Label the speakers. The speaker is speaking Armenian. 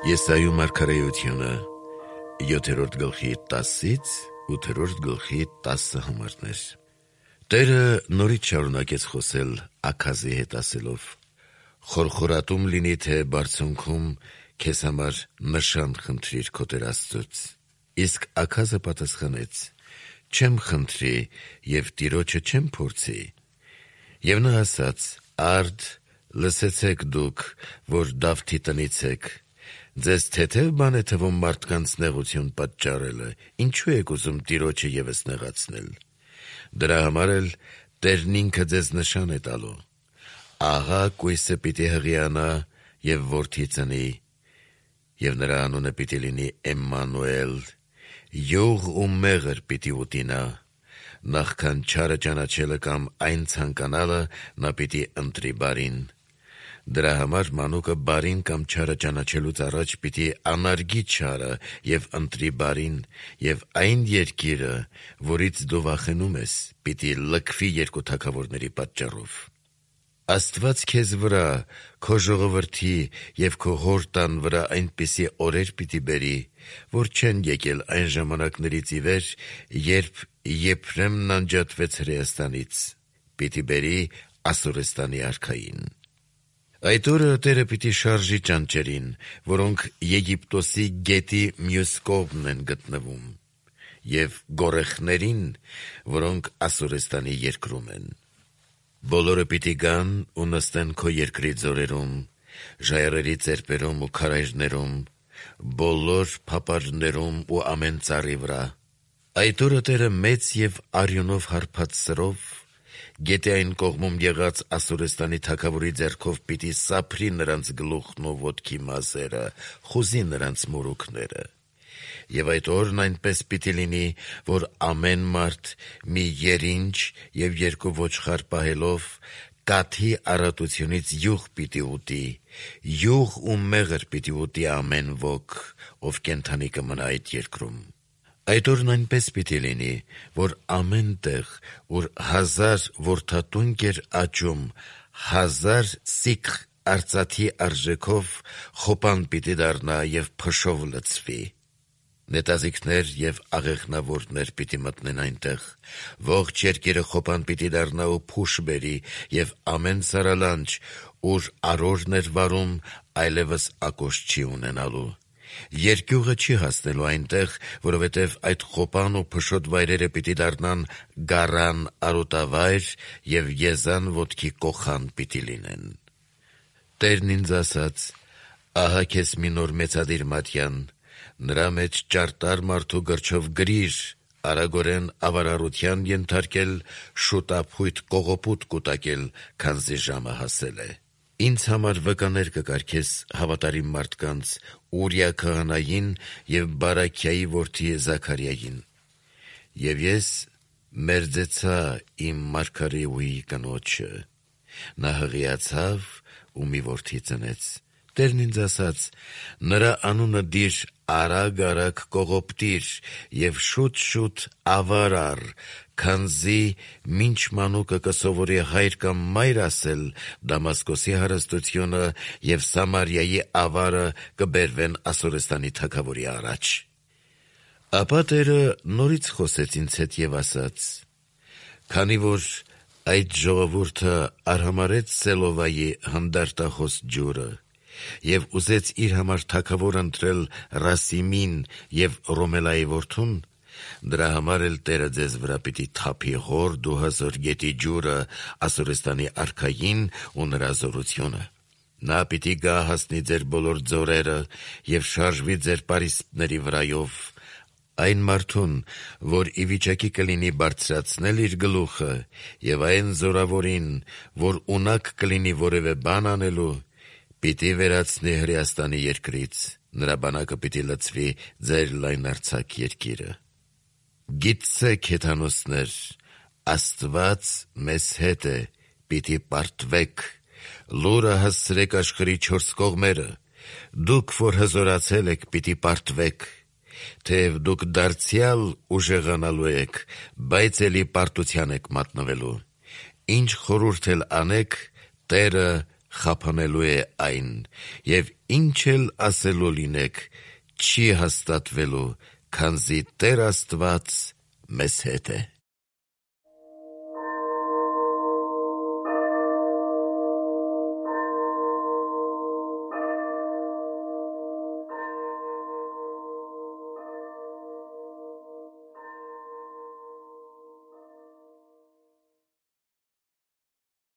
Speaker 1: Եսայու մարգարեությունը 7-րդ գլխի 10-ից 8-րդ գլխի 10 համարներ։ Տերը նորից շարունակեց խոսել Աքազի հետ ասելով. «Խորխորատում լինի, թե բարձունքում քեզ համար նշան խնդրիր քո Տեր Աստծուց»։ Իսկ Աքազը պատասխանեց. «Չեմ խնդրի և Տիրոջը չեմ փորձի»։ Եվ նա ասաց. «Արդ, լսեցեք դուք, որ Դավթի տնից եք. ձեզ թեթև բան է թվում մարդկանց նեղություն պատճառելը, ինչու եք ուզում Տիրոջը ևս նեղացնել։ Դրա համար էլ Տերն ինքը ձեզ նշան է տալու. ահա կույսը պիտի հղիանա և որդի ծնի, և նրա անունը պիտի լինի Էմմանուել, յուղ ու մեղր պիտի ուտի նա, նախքան չարը ճանաչելը կամ այն ցանկանալը նա պիտի ընտրի բարին։ Դրա համար մանուկը բարին կամ չարը ճանաչելուց առաջ պիտի անարգի չարը և ընտրի բարին, և այն երկիրը, որից դու վախենում ես, պիտի լքվի երկու թագավորների պատճառով։ Աստված քեզ վրա, քո ժողովրդի և քո հոր տան վրա այնպիսի օրեր պիտի բերի, որ չեն եկել այն ժամանակներից ի վեր, երբ Եփրեմն անջատվեց Հրեաստանից, պիտի բերի Ասորստանի արքային։ Այդ օրը Տերը պիտի շարժի ճանճերին, որոնք Եգիպտոսի գետի մյուս կողմն են գտնվում, և գորեխներին, որոնք Ասորստանի երկրում են։ Բոլորը պիտի գան ու նստեն քո երկրի ձորերում, ժայռերի ծեպերում ու քարայրներում, բոլոր փապարներում ու ամեն ծառի վրա։ Այդ օրը Տերը մեծ և արյունով հարբած սրով գետի այն կողմում եղած Ասորստանի թագավորի ձեռքով պիտի սափրի նրանց գլուխն ու ոտքի մազերը, խուզի նրանց մորուքները։ Եվ այդ օրն այնպես պիտի լինի, որ ամեն մարդ մի երինջ և երկու ոչխար պահելով կաթի առատությունից յուղ պիտի ուտի, յուղ ու մեղր պիտի ուտի ամեն ոք, ով կենդանի կմնա այդ երկրում։ Այդ օրն այնպես պիտի լինի, որ ամեն տեղ, ուր 1000 որդատունկ էր աճում, 1000 սիքղ արծաթի արժեքով խոպան պիտի դառնա և փշով լցվի։ Նետազիքներ և աղեղնավորներ պիտի մտնեն այնտեղ, ողջ երկիրը խոպան պիտի դառնա ու փուշ բերի, և ամեն սարալանջ, ուր արորն էր վարում, այլևս ակոշ չի ունենալու։ Երկյուղը չի հասնելու այնտեղ, որովհետև այդ խոպան ու փշոտ վայրերը պիտի դառնան գառան արոտավայր և եզան ոտքի կոխան պիտի լինեն։ Տերն ինձ ասաց. «Ահա քեզ մի նոր մեծադիր մատյան, նրա մեջ ճարտար մարդու գրչով գրիր, արագորեն ավարառության ենթարկել, շուտափույթ կողոպուտ կուտակել, քանզի ժամը հասել է։ Ինձ համար վկաներ կկարգես հավատարիմ մարդկանց, Ուրիա քահանային և Բարաքիայի որդի Զաքարիային։ Եվ ես մերձեցա իմ մարգարեուհի կնոջը. նա հղիացավ ու մի որդի ծնեց։ Տերն ինձ ասաց. նրա անունը դիր արագ կողոպտիր և շուտ ավար առ, քանզի մինչ մանուկը կսովորի հայր կամ մայր ասել, Դամասկոսի հարստությունը և Սամարիայի ավարը կբերվեն Ասորստանի թագավորի առաջ»։ Ապա Տերը նորից խոսեց ինձ հետ և ասաց. «Քանի որ այդ ժողովուրդը արհամարհեց Սելովայի հանդարտախոս ջուրը և ուզեց իր համար թագավոր ընտրել Ռասիմին և Ռոմելայի որդուն, դրա համար էլ Տերը ձեզ վրա պիտի թափի հորդ ու հզոր գետի ջուրը, Ասորստանի արքային ու նրա զորությունը։ Նա պիտի գա հասնի ձեր բոլոր ձորերը և շարժվի ձեր պարիսպների վրայով, այն մարդուն, որ ի վիճակի կլինի բարձրացնել իր գլուխը, և այն զորավորին, որ ունակ կլինի որևէ բան անելու, պիտի վերացնի Հրեաստանի երկրից, նրա բանակը պիտի լցվի ձեր լայնարձակ երկիրը։ Գիտցեք, հեթանոսներ, Աստված մեզ հետ է, պիտի պարտվեք, լուրը հասցրեք աշխարհի 4 կողմերը, դուք, որ հզորացել եք, պիտի պարտվեք, թեև դուք դարձյալ ուժեղանալու եք, բայց էլի պարտության եք մատնվելու։ Ինչ խորհուրդ էլ անեք, Տերը խափանելու է այն, և ինչ էլ ասելու լինեք, չի հաստատվելու, քանզի Տեր Աստված մեզ հետ է։